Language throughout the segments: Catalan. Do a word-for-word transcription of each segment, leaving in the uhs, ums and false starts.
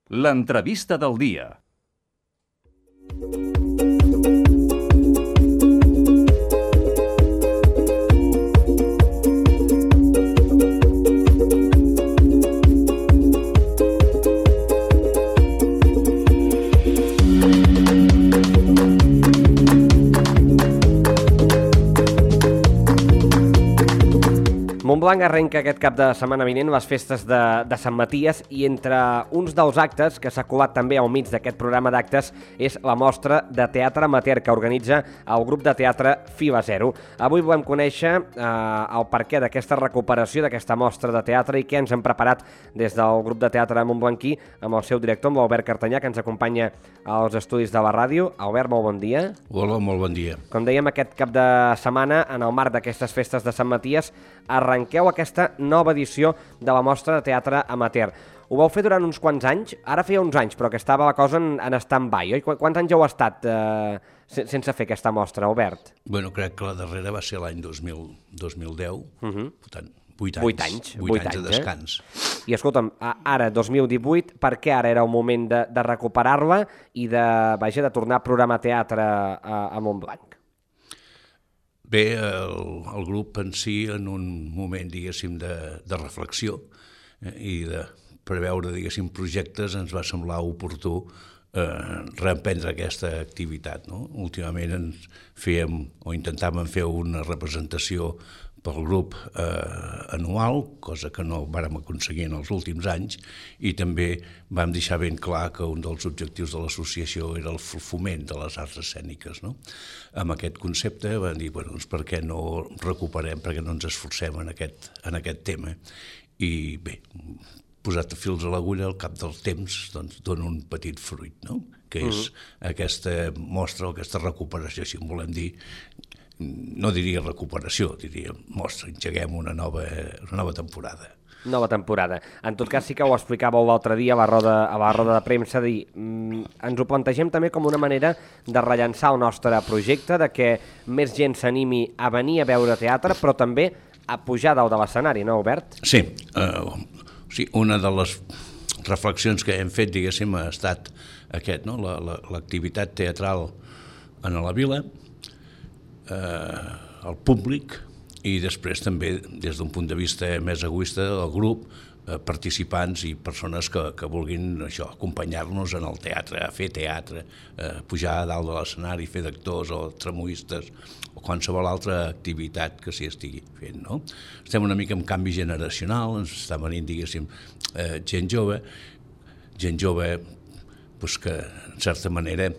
L'entrevista del dia. Montblanc arrenca aquest cap de setmana vinent les festes de, de Sant Maties i entre uns dels actes que s'ha colat també al mig d'aquest programa d'actes és la mostra de teatre amateur que organitza el grup de teatre Fila Zero. Avui volem conèixer eh, el perquè d'aquesta recuperació d'aquesta mostra de teatre i què ens hem preparat des del grup de teatre montblanquí amb el seu director, amb l'Albert Cartanyà, que ens acompanya als estudis de la ràdio. Albert, molt bon dia. Hola, molt bon dia. Com dèiem, aquest cap de setmana, en el marc d'aquestes festes de Sant Maties, arrenqueu aquesta nova edició de la mostra de teatre amateur. Ho vau fer durant uns quants anys, ara feia uns anys, però que estava la cosa en, en stand-by, oi? Quants anys heu estat eh, sense fer aquesta mostra, Albert? Bueno, crec que la darrera va ser l'any dos mil deu, uh -huh. per tant, vuit anys. Vuit anys. Vuit, vuit anys, anys de descans. Eh? I escolta'm, ara, dos mil divuit, per què ara era el moment de, de recuperar-la i de, vaja, de tornar a programar teatre a, a Montblanc? Bé, el, el grup en si, en un moment, diguéssim, de, de reflexió eh, i de preveure, diguéssim, projectes, ens va semblar oportú eh, reemprendre aquesta activitat, no? Últimament ens fèiem, o intentàvem fer una representació pel grup eh, anual, cosa que no vàrem aconseguir en els últims anys, i també vam deixar ben clar que un dels objectius de l'associació era el foment de les arts escèniques, no? Amb aquest concepte vam dir, bueno, doncs per què no recuperem, per què no ens esforcem en aquest, en aquest tema? I bé, posat fils a l'agulla, al cap del temps, doncs dona un petit fruit, no? Que és uh-huh. aquesta mostra, aquesta recuperació, si en volem dir, no diria recuperació, diria mostra, engeguem una nova, una nova temporada. Nova temporada. En tot cas, sí que ho explicàveu l'altre dia a la roda, a la roda de premsa, dir, mm, ens ho plantegem també com una manera de rellançar el nostre projecte, de que més gent s'animi a venir a veure teatre, però també a pujar dalt de l'escenari, no, Albert? Sí, uh, sí, una de les reflexions que hem fet, diguéssim, ha estat aquest, no? La, la, l'activitat teatral en la vila, eh, el públic, i després també, des d'un punt de vista més egoista, el grup, eh, participants i persones que, que vulguin això, acompanyar-nos en el teatre, a fer teatre, eh, pujar a dalt de l'escenari, fer d'actors o tramoistes o qualsevol altra activitat que s'hi estigui fent, no? Estem una mica en canvi generacional, ens està venint, diguéssim, eh, gent jove, gent jove pues, que, en certa manera,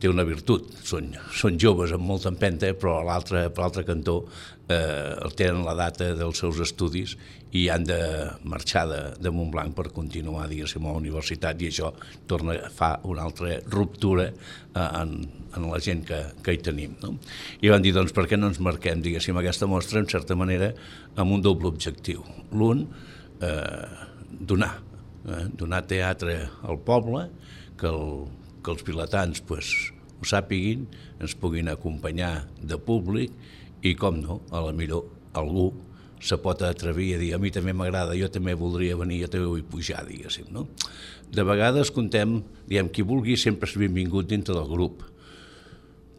té una virtut, són, són joves amb molta empenta, però a l'altre, per l'altre cantó eh, tenen la data dels seus estudis i han de marxar de, de Montblanc per continuar, diguéssim, a la universitat, i això torna a fa una altra ruptura eh, en, en la gent que, que hi tenim, no? I van dir, doncs, per què no ens marquem, diguéssim, aquesta mostra, en certa manera, amb un doble objectiu. L'un, eh, donar, eh, donar teatre al poble, que el que els vilatans pues, ho sàpiguin, ens puguin acompanyar de públic i, com no, a la millor algú se pot atrevir a dir a mi també m'agrada, jo també voldria venir, jo també vull pujar, diguéssim, no? De vegades contem, diem, qui vulgui sempre és benvingut dintre del grup,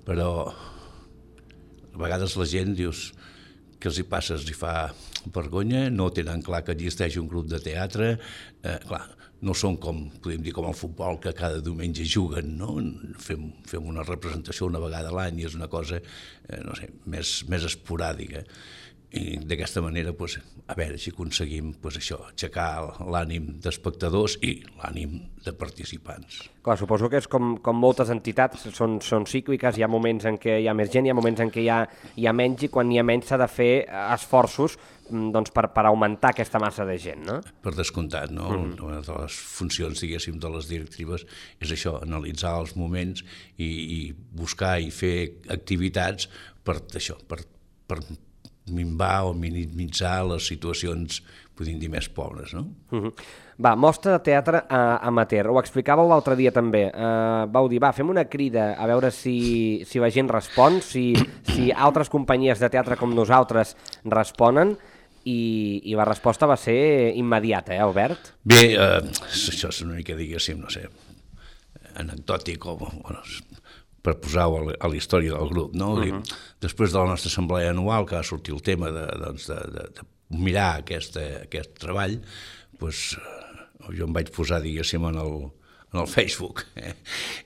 però a vegades la gent, dius, que els hi passa, els hi fa vergonya, no tenen clar que existeix un grup de teatre, eh, clar, no són com, podem dir, com el futbol, que cada diumenge juguen, no? Fem, fem una representació una vegada a l'any i és una cosa, eh, no sé, més, més esporàdica. I d'aquesta manera, pues, a veure si aconseguim pues, això, aixecar l'ànim d'espectadors i l'ànim de participants. Clar, suposo que és com, com moltes entitats, són, són cícliques, hi ha moments en què hi ha més gent, hi ha moments en què hi ha, hi ha menys, i quan hi ha menys s'ha de fer esforços doncs, per, per augmentar aquesta massa de gent, no? Per descomptat, no? Mm-hmm. Una de les funcions, diguéssim, de les directives és això, analitzar els moments i, i buscar i fer activitats per això, per, per minvar o minimitzar les situacions, podem dir, més pobres, no? Mm-hmm. Va, mostra de teatre uh, amateur, ho explicàveu l'altre dia també, uh, vau dir, va, fem una crida a veure si, si la gent respon, si, si altres companyies de teatre com nosaltres responen, i, i la resposta va ser immediata, eh, Albert? Bé, eh, això és una mica, diguéssim, no sé, anecdòtic o... Bueno, per posar-ho a la història del grup, no? Uh-huh. Després de la nostra assemblea anual, que va sortir el tema de, doncs, de, de, de mirar aquesta, aquest treball, doncs, jo em vaig posar, diguéssim, en el, en el Facebook, eh?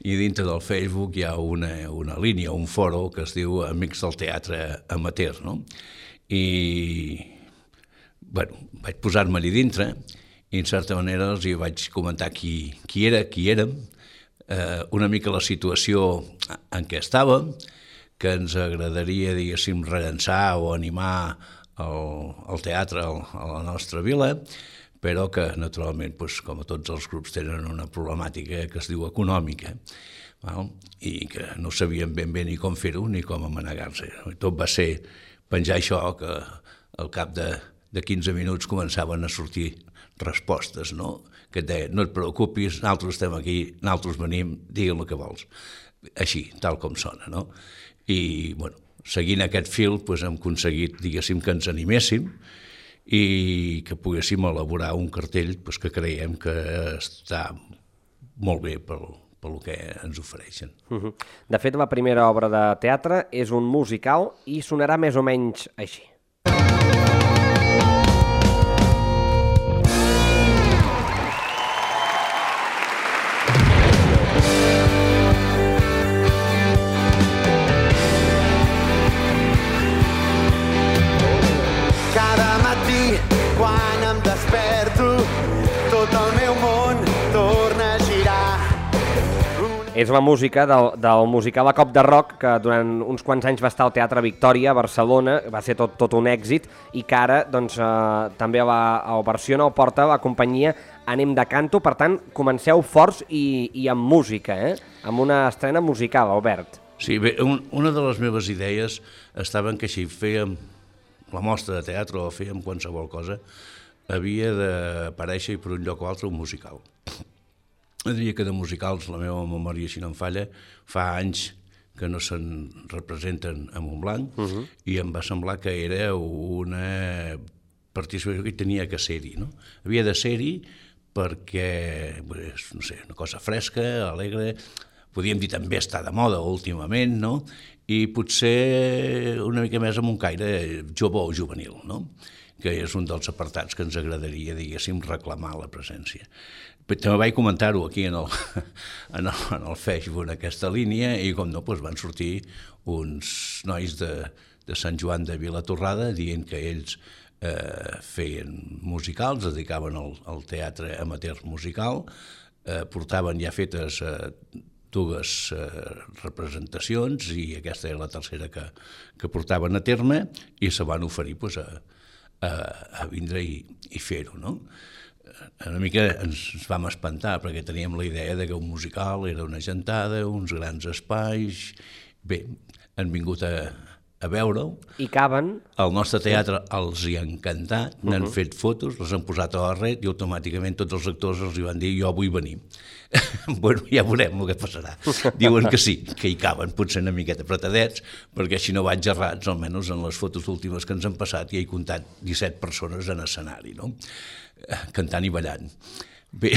I dintre del Facebook hi ha una, una línia, un foro que es diu Amics del Teatre Amateur, no? I, bueno, vaig posar-me-hi dintre i, en certa manera, els hi vaig comentar qui, qui era, qui érem, Eh, una mica la situació en què estàvem, que ens agradaria, diguéssim, rellançar o animar el, el teatre a la nostra vila, però que, naturalment, doncs, com a tots els grups, tenen una problemàtica que es diu econòmica, val? I que no sabien ben bé ni com fer-ho ni com amanegar-se. Tot va ser penjar això, que al cap de, de quinze minuts començaven a sortir respostes, no? Que et deia, no et preocupis, nosaltres estem aquí, nosaltres venim, digue'm el que vols. Així, tal com sona, no? I, bueno, seguint aquest fil, doncs, hem aconseguit, diguéssim, que ens animéssim i que poguéssim elaborar un cartell doncs, que creiem que està molt bé pel, pel que ens ofereixen. Uh-huh. De fet, la primera obra de teatre és un musical i sonarà més o menys així. És la música del, del musical A Cop de Rock, que durant uns quants anys va estar al Teatre Victòria, a Barcelona, va ser tot, tot un èxit, i que ara doncs, eh, també la, el versiona o porta la companyia Ànim de Canto. Per tant, comenceu forts i, i amb música, eh? Amb una estrena musical, Albert. Sí, bé, un, una de les meves idees estava en que si fèiem la mostra de teatre o fèiem qualsevol cosa, havia d'aparèixer per un lloc o altre un musical. Jo diria que de musicals, la meva memòria, si no em falla, fa anys que no se'n representen a Montblanc, uh-huh. I em va semblar que era una participació que tenia que ser-hi, no? Havia de ser-hi perquè, no sé, una cosa fresca, alegre, podríem dir també està de moda últimament, no? I potser una mica més amb un caire jove o juvenil, no? Que és un dels apartats que ens agradaria, diguéssim, reclamar la presència. També vaig comentar-ho aquí en el, en, el, en el Facebook, en aquesta línia, i com no, doncs van sortir uns nois de, de Sant Joan de Vilatorrada dient que ells eh, feien musicals, es dedicaven al, al teatre amateur musical, eh, portaven ja fetes eh, dues eh, representacions i aquesta era la tercera que, que portaven a terme i se van oferir doncs, a, a, a vindre i, i fer-ho, no? Una mica ens vam espantar perquè teníem la idea de que un musical era una gentada, uns grans espais. Bé, han vingut a, a veure-ho. I caben. El nostre teatre els hi ha encantat, n'han uh-huh. fet fotos, les han posat a la red i automàticament tots els actors els hi van dir jo vull venir. Bueno, ja veurem el que passarà. Diuen que sí, que hi caben, potser una miqueta apretadets, perquè si no vaig errats, almenys en les fotos últimes que ens han passat, ja he comptat disset persones en escenari, no? Cantant i ballant. Bé.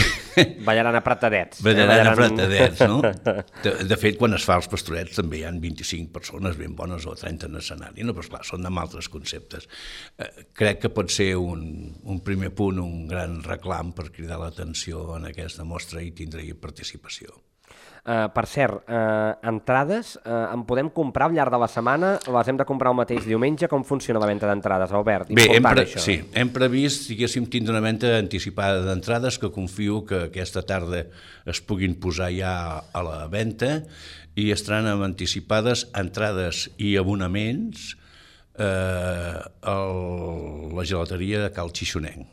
Ballaran apretadets. Ballaran, ballaran apretadets, no? De, de fet, quan es fa els pastorets també hi ha vint-i-cinc persones ben bones o trenta en escenari, no? Però esclar, són amb altres conceptes. Eh, crec que pot ser un, un primer punt, un gran reclam per cridar l'atenció en aquesta mostra i tindre-hi participació. Uh, per cert, uh, entrades uh, en podem comprar al llarg de la setmana? Les hem de comprar el mateix diumenge? Com funciona la venda d'entrades, Albert? Bé, hem, pre sí, hem previst, diguéssim, tindre una venda anticipada d'entrades que confio que aquesta tarda es puguin posar ja a la venda i estaran amb anticipades entrades i abonaments eh, a la gelateria de Cal Xixonenc.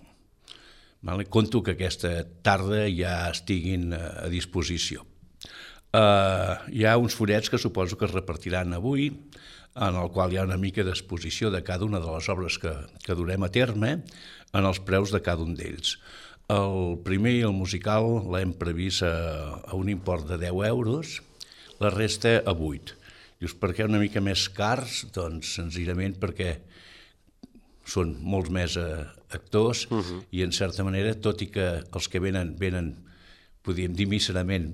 Vale? Conto que aquesta tarda ja estiguin a disposició. Uh, hi ha uns fullets que suposo que es repartiran avui, en el qual hi ha una mica d'exposició de cada una de les obres que, que durem a terme en els preus de cada un d'ells. El primer, el musical, l'hem previst a, a un import de deu euros, la resta a vuit. Dius, per què una mica més cars? Doncs senzillament perquè són molts més eh, actors uh-huh. i en certa manera, tot i que els que venen, venen podríem dir míserament,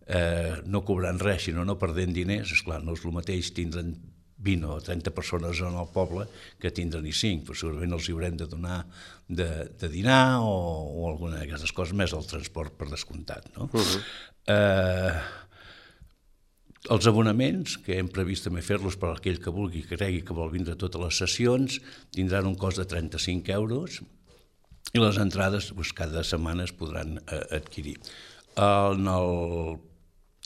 eh, no cobrant res, sinó no perdent diners, esclar, no és el mateix tindre'n vint o trenta persones en el poble que tindre-n'hi cinc, però segurament els hi haurem de donar de, de dinar o, o alguna d'aquestes coses, més el transport per descomptat. No? Uh-huh. eh, els abonaments, que hem previst també fer-los per aquell que vulgui, que cregui que vol vindre a totes les sessions, tindran un cost de trenta-cinc euros i les entrades doncs, cada setmana es podran eh, adquirir. En el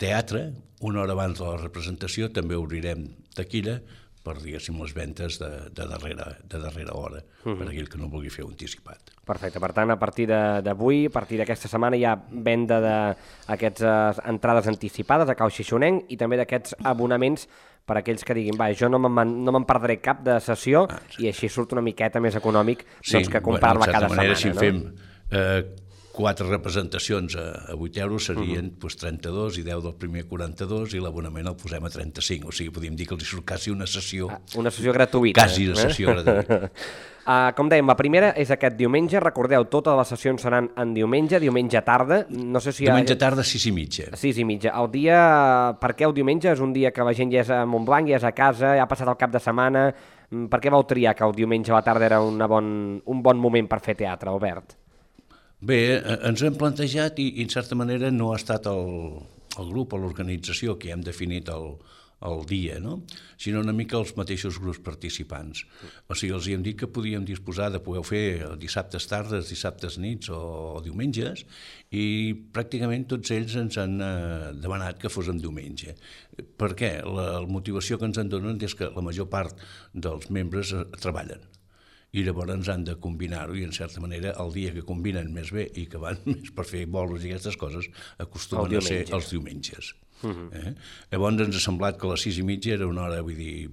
teatre, una hora abans de la representació, també obrirem taquilla per, diguéssim, les ventes de, de, darrere, de darrera hora, uh-huh. per aquell que no vulgui fer un anticipat. Perfecte, per tant, a partir d'avui, a partir d'aquesta setmana, hi ha venda d'aquestes entrades anticipades a Cau Xixonenc i també d'aquests abonaments per aquells que diguin, va, jo no me'n no me perdré cap de sessió ah, sí. i així surt una miqueta més econòmic sí, doncs, que comprar-la bueno, cada manera, setmana. Si no? fem eh, quatre representacions a, a vuit euros serien uh-huh. pues, trenta-dos i deu del primer quaranta-dos i l'abonament el posem a trenta-cinc, o sigui, podríem dir que els hi surt quasi una sessió... Ah, una sessió gratuïta. Quasi una sessió eh? gratuïta. uh, com dèiem, la primera és aquest diumenge, recordeu, totes les sessions seran en diumenge, diumenge tarda, no sé si... Diumenge ha... tarda, sis i mitja. sis i mitja. El dia, per què el diumenge? És un dia que la gent ja és a Montblanc, ja és a casa, ja ha passat el cap de setmana, per què vau triar que el diumenge a la tarda era una bon, un bon moment per fer teatre, Albert? Bé, ens ho hem plantejat i, i en certa manera no ha estat el, el grup o l'organització que hem definit el, el dia, no? Sinó una mica els mateixos grups participants. O sigui, els hem dit que podíem disposar de poder fer dissabtes tardes, dissabtes nits o, o diumenges i pràcticament tots ells ens han eh, demanat que fos en diumenge. Per què? La, la motivació que ens en donen és que la major part dels membres eh, treballen. I llavors han de combinar-ho i en certa manera el dia que combinen més bé i que van més per fer bolos i aquestes coses acostumen a ser els diumenges. Uh-huh. eh? Llavors ens ha semblat que a les sis i mitja era una hora, vull dir,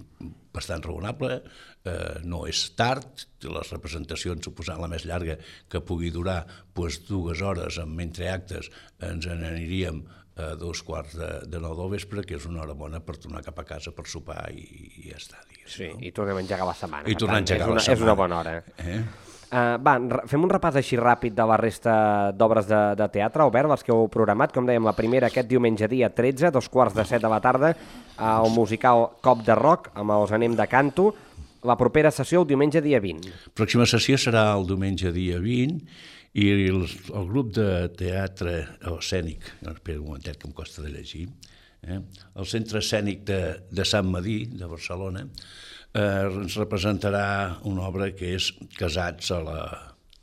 bastant raonable, eh, no és tard, les representacions suposant la més llarga que pugui durar doncs, dues hores amb entreactes ens n'aniríem a dos quarts de, de nou del vespre, que és una hora bona per tornar cap a casa per sopar i, i ja està. Digues, sí, no? I tornem a engegar la setmana. I tornar a engegar la setmana. És una bona hora. Eh? Uh, va, fem un repàs així ràpid de la resta d'obres de, de teatre, Albert, les que heu programat. Com dèiem, la primera aquest diumenge dia tretze, dos quarts de set de la tarda, al musical Cop de Rock, amb els Anem de Canto. La propera sessió el diumenge dia vint. La pròxima sessió serà el diumenge dia vint, i el, el grup de teatre escènic, espera un momentet que em costa de llegir, eh? el Centre Escènic de, de Sant Madí, de Barcelona, eh, ens representarà una obra que és Casats a la,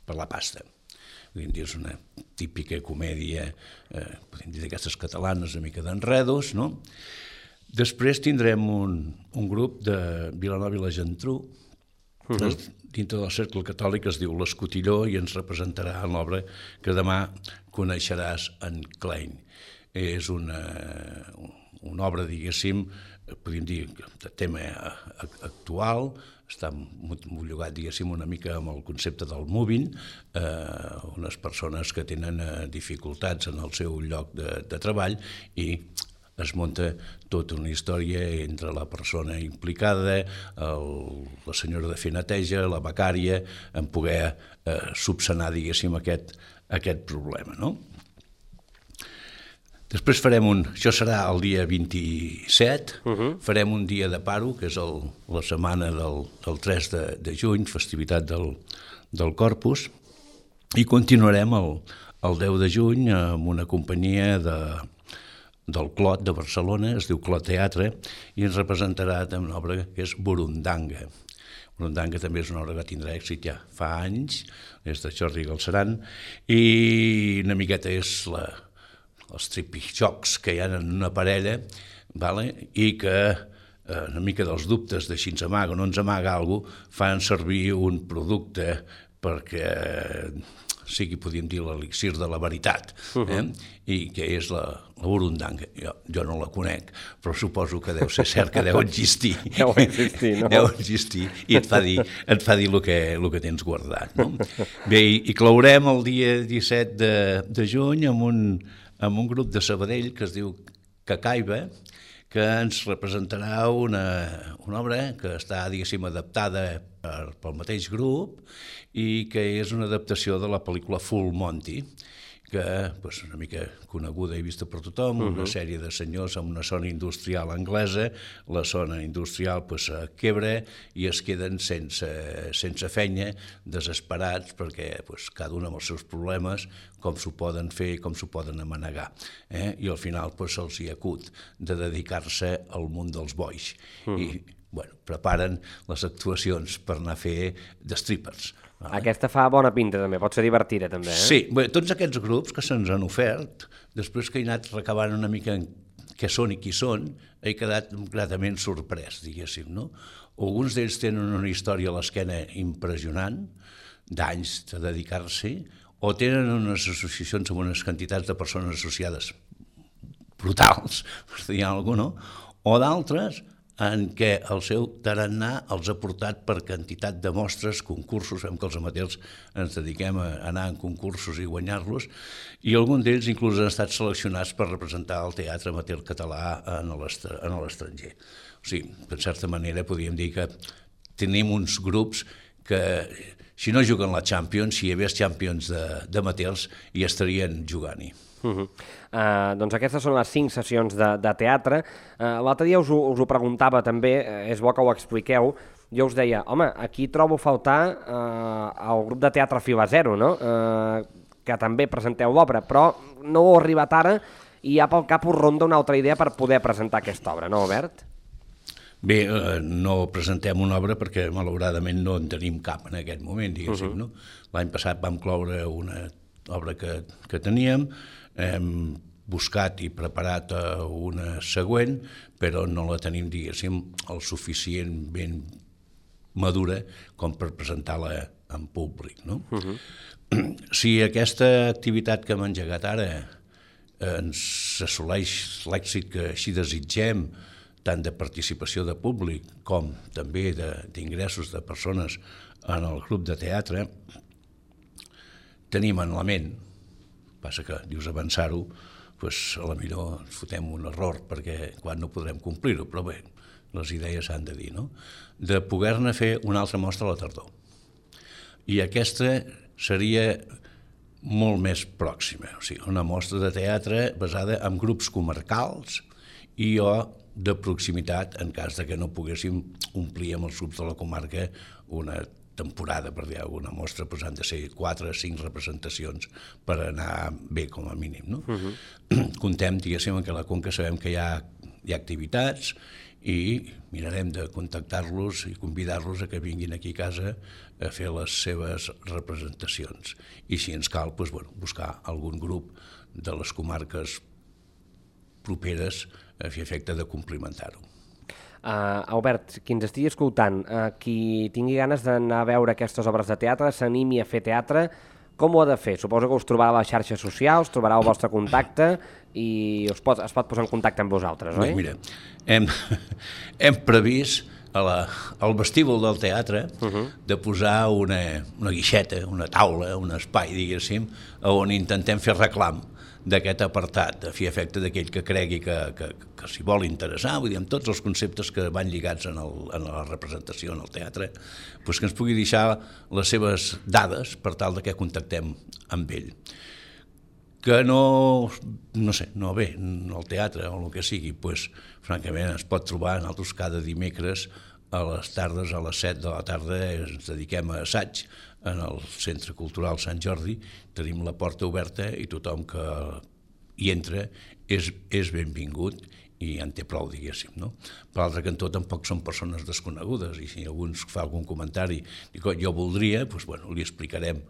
per la pasta. És una típica comèdia, eh, podem dir d'aquestes catalanes, una mica d'enredos, no? Després tindrem un, un grup de Vilanova i la Geltrú, uh-huh. dintre del cercle catòlic es diu l'Escotilló i ens representarà en l'obra que demà coneixeràs en Klein. És una, una obra, diguéssim, podríem dir, de tema actual, està mollugat, diguéssim, una mica amb el concepte del moving, eh, unes persones que tenen eh, dificultats en el seu lloc de, de treball i es munta tota una història entre la persona implicada, el, la senyora de fer neteja, la becària, en poder eh, subsanar, diguéssim, aquest, aquest problema, no? Després farem un... Això serà el dia vint-i-set, uh-huh. farem un dia de paro, que és el, la setmana del, del tres de, de juny, festivitat del, del Corpus, i continuarem el, el deu de juny amb una companyia de... del Clot de Barcelona, es diu Clot Teatre, i ens representarà una obra que és Burundanga. Burundanga també és una obra que tindrà èxit ja fa anys, és de Jordi Galceran, i una miqueta és la, els tripijocs que hi ha en una parella, vale? I que eh, una mica dels dubtes de si ens amaga o no ens amaga alguna cosa, fan servir un producte perquè sigui, podríem dir, l'elixir de la veritat, eh? Uh-huh. I que és la, la burundanga. Jo, jo no la conec, però suposo que deu ser cert que deu existir. Deu existir, no? Deu existir, i et fa dir, et fa dir el que, el que tens guardat, no? Bé, i, i clourem el dia disset de, de juny amb un, amb un grup de Sabadell que es diu Cacaiba, que ens representarà una, una obra que està, diguéssim, adaptada per, pel mateix grup i que és una adaptació de la pel·lícula Full Monty, que és una mica coneguda i vista per tothom, una sèrie de senyors amb una zona industrial anglesa, la zona industrial pues, quebra i es queden sense, sense feina, desesperats, perquè pues, cada un amb els seus problemes, com s'ho poden fer i com s'ho poden amanegar. Eh? I al final pues, se'ls hi acut de dedicar-se al món dels bois. Mm. I bueno, preparen les actuacions per anar a fer de strippers. Vale. Aquesta fa bona pinta també, pot ser divertida també, eh? Sí, bé, tots aquests grups que se'ns han ofert, després que he anat recabant una mica què són i qui són, he quedat gratament sorprès, diguéssim, no? Alguns d'ells tenen una història a l'esquena impressionant, d'anys de dedicar-s'hi, o tenen unes associacions amb unes quantitats de persones associades brutals, per dir alguna cosa, no? O d'altres en què el seu tarannà els ha portat per quantitat de mostres, concursos, en què els amateurs ens dediquem a anar en concursos i guanyar-los, i alguns d'ells inclús han estat seleccionats per representar el teatre amateur català en l'estranger. O sigui, de certa manera podríem dir que tenim uns grups que, si no juguen la Champions, si hi hagués Champions d'amateurs, hi estarien jugant-hi. Uh -huh. uh, doncs aquestes són les cinc sessions de, de teatre. Uh, L'altre dia us ho, us ho preguntava també, uh, és bo que ho expliqueu. Jo us deia, home, aquí trobo faltar uh, el grup de teatre Fila Zero, no? Uh, que també presenteu l'obra, però no ho ha arribat ara i ja pel cap us ronda una altra idea per poder presentar aquesta obra, no, Albert? Bé, eh, no presentem una obra perquè malauradament no en tenim cap en aquest moment, diguéssim, uh -huh. no? L'any passat vam cloure una obra que, que teníem, hem buscat i preparat una següent, però no la tenim, diguéssim, el suficient ben madura com per presentar-la en públic, no? Uh-huh. Si aquesta activitat que hem engegat ara ens assoleix l'èxit que així desitgem, tant de participació de públic com també d'ingressos de, de persones en el grup de teatre, tenim en la ment, passa que dius avançar-ho, doncs a la millor ens fotem un error perquè quan no podrem complir-ho, però bé, les idees s'han de dir, no? De poder-ne fer una altra mostra a la tardor. I aquesta seria molt més pròxima, o sigui, una mostra de teatre basada en grups comarcals i o de proximitat en cas de que no poguéssim omplir amb els grups de la comarca una temporada, per dir alguna mostra, doncs han de ser quatre o cinc representacions per anar bé, com a mínim, no? Uh-huh. Contem, diguéssim, que a la Conca sabem que hi ha, hi ha activitats i mirarem de contactar-los i convidar-los a que vinguin aquí a casa a fer les seves representacions. I si ens cal, doncs, bueno, buscar algun grup de les comarques properes a fer efecte de complementar-ho. Uh, Albert, qui ens estigui escoltant, uh, qui tingui ganes d'anar a veure aquestes obres de teatre, s'animi a fer teatre, com ho ha de fer? Suposo que us trobarà a les xarxes socials, trobarà el vostre contacte i us pot, es pot posar en contacte amb vosaltres, oi? Bé, mira, hem, hem previst a la, al vestíbul del teatre uh-huh. de posar una, una guixeta, una taula, un espai, diguéssim, on intentem fer reclam d'aquest apartat, a fi efecte d'aquell que cregui que, que, que s'hi vol interessar, vull dir, amb tots els conceptes que van lligats en, el, en la representació, en el teatre, doncs que ens pugui deixar les seves dades per tal de que contactem amb ell. Que no, no sé, no ve al teatre o el que sigui, doncs francament es pot trobar nosaltres cada dimecres a les tardes, a les set de la tarda, ens dediquem a assaig en el Centre Cultural Sant Jordi, tenim la porta oberta i tothom que hi entra és, és benvingut i en té prou, diguéssim, no? Per l'altre cantó tampoc són persones desconegudes i si algú ens fa algun comentari i jo voldria, doncs, bueno, li explicarem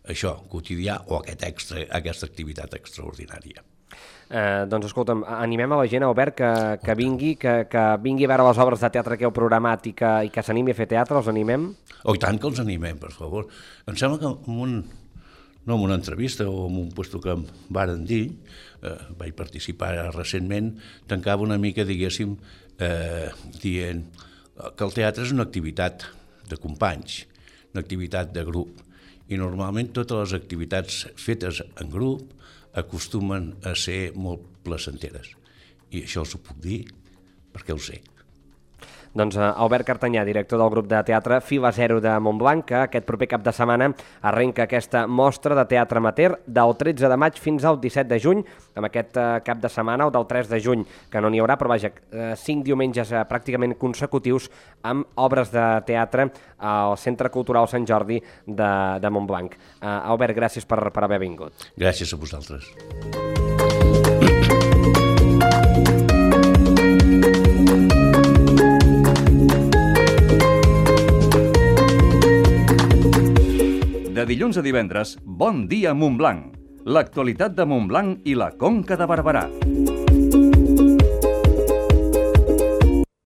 això quotidià o aquest extra, aquesta activitat extraordinària. Eh, doncs escolta'm, animem a la gent, Albert, que, que vingui, que, que vingui a veure les obres de teatre que heu programat i que, i que s'animi a fer teatre, els animem? Oh, i tant que els animem, per favor. Em sembla que en un, no en una entrevista o en un puesto que em varen dir, eh, vaig participar recentment, tancava una mica, diguéssim, eh, dient que el teatre és una activitat de companys, una activitat de grup, i normalment totes les activitats fetes en grup acostumen a ser molt placenteres. I això us ho puc dir perquè ho sé. Doncs uh, Albert Cartanyà, director del grup de teatre Fila Zero de Montblanc, que aquest proper cap de setmana arrenca aquesta mostra de teatre amateur del tretze de maig fins al disset de juny, amb aquest uh, cap de setmana, o del tres de juny, que no n'hi haurà, però vaja, uh, cinc diumenges uh, pràcticament consecutius amb obres de teatre al Centre Cultural Sant Jordi de, de Montblanc. Uh, Albert, gràcies per, per haver vingut. Gràcies a vosaltres. De dilluns a divendres, Bon dia Montblanc. L'actualitat de Montblanc i la Conca de Barberà.